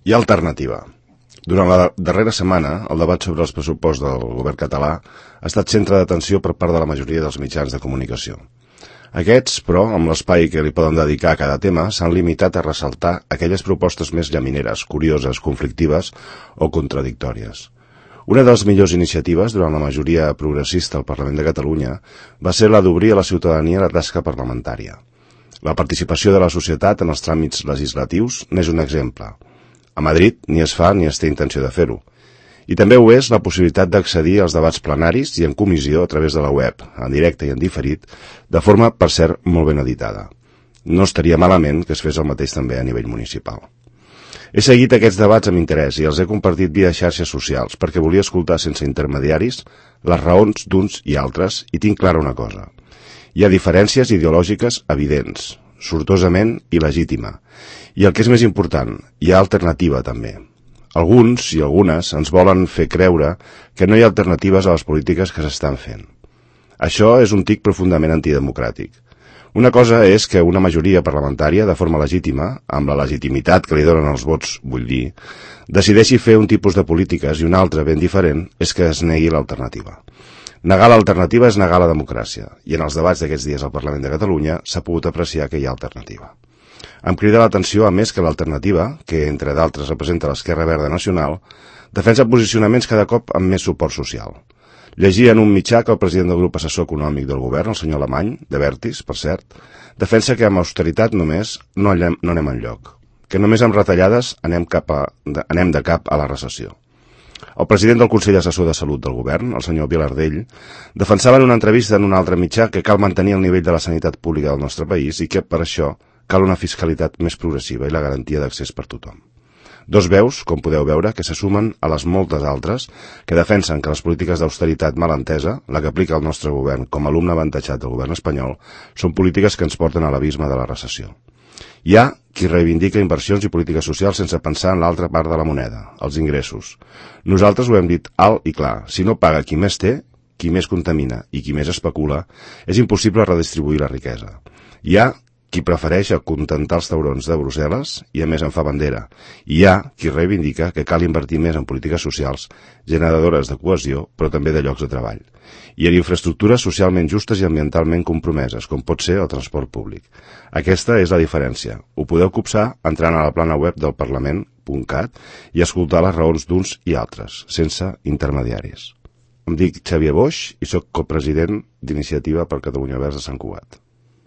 Hi ha alternativa. Durant la darrera setmana, el debat sobre els pressupostos del govern català ha estat centre d'atenció per part de la majoria dels mitjans de comunicació. Aquests, però, amb l'espai que li poden dedicar a cada tema, s'han limitat a ressaltar aquelles propostes més llamineres, curioses, conflictives o contradictòries. Una de les millors iniciatives durant la majoria progressista al Parlament de Catalunya va ser la d'obrir a la ciutadania la tasca parlamentària. La participació de la societat en els tràmits legislatius n'és un exemple. A Madrid ni es fa ni es té intenció de fer-ho. I també ho és la possibilitat d'accedir als debats plenaris i en comissió a través de la web, en directe i en diferit, de forma, per cert, molt ben editada. No estaria malament que es fes el mateix també a nivell municipal. He seguit aquests debats amb interès i els he compartit via xarxes socials perquè volia escoltar sense intermediaris les raons d'uns i altres i tinc clara una cosa. Hi ha diferències ideològiques evidents, sortosament il·legítima. I el que és més important, hi ha alternativa també. Alguns i algunes ens volen fer creure que no hi ha alternatives a les polítiques que s'estan fent. Això és un tic profundament antidemocràtic. Una cosa és que una majoria parlamentària, de forma legítima, amb la legitimitat que li donen els vots, vull dir, decideixi fer un tipus de polítiques i una altra ben diferent és que es negui l'alternativa. Negar l'alternativa és negar la democràcia, i en els debats d'aquests dies al Parlament de Catalunya s'ha pogut apreciar que hi ha alternativa. Em crida l'atenció, a més, que l'alternativa, que entre d'altres representa l'Esquerra Verda Nacional, defensa posicionaments cada cop amb més suport social. Llegia en un mitjà que el president del grup assessor econòmic del govern, el senyor Alemany, de Vertis, per cert, defensa que amb austeritat només no anem enlloc, que només amb retallades anem de cap a la recessió. El president del Consell Assessor de Salut del govern, el senyor Vilardell, defensava en una entrevista en un altre mitjà que cal mantenir el nivell de la sanitat pública del nostre país i que, per això, cal una fiscalitat més progressiva i la garantia d'accés per tothom. Dos veus, com podeu veure, que se sumen a les moltes altres que defensen que les polítiques d'austeritat mal entesa, la que aplica el nostre govern com a alumne avantatjat del govern espanyol, són polítiques que ens porten a l'abisme de la recessió. Hi ha qui reivindica inversions i polítiques socials sense pensar en l'altra part de la moneda, els ingressos. Nosaltres ho hem dit alt i clar, si no paga qui més té, qui més contamina i qui més especula, és impossible redistribuir la riquesa. Hi ha qui prefereix acontentar els taurons de Brussel·les i a més en fa bandera. I hi ha qui reivindica que cal invertir més en polítiques socials, generadores de cohesió, però també de llocs de treball. I en infraestructures socialment justes i ambientalment compromeses, com pot ser el transport públic. Aquesta és la diferència. Ho podeu copsar entrant a la plana web del Parlament.cat i escoltar les raons d'uns i altres, sense intermediaris. Em dic Xavier Boix i sóc copresident d'Iniciativa per Catalunya Verds de Sant Cugat.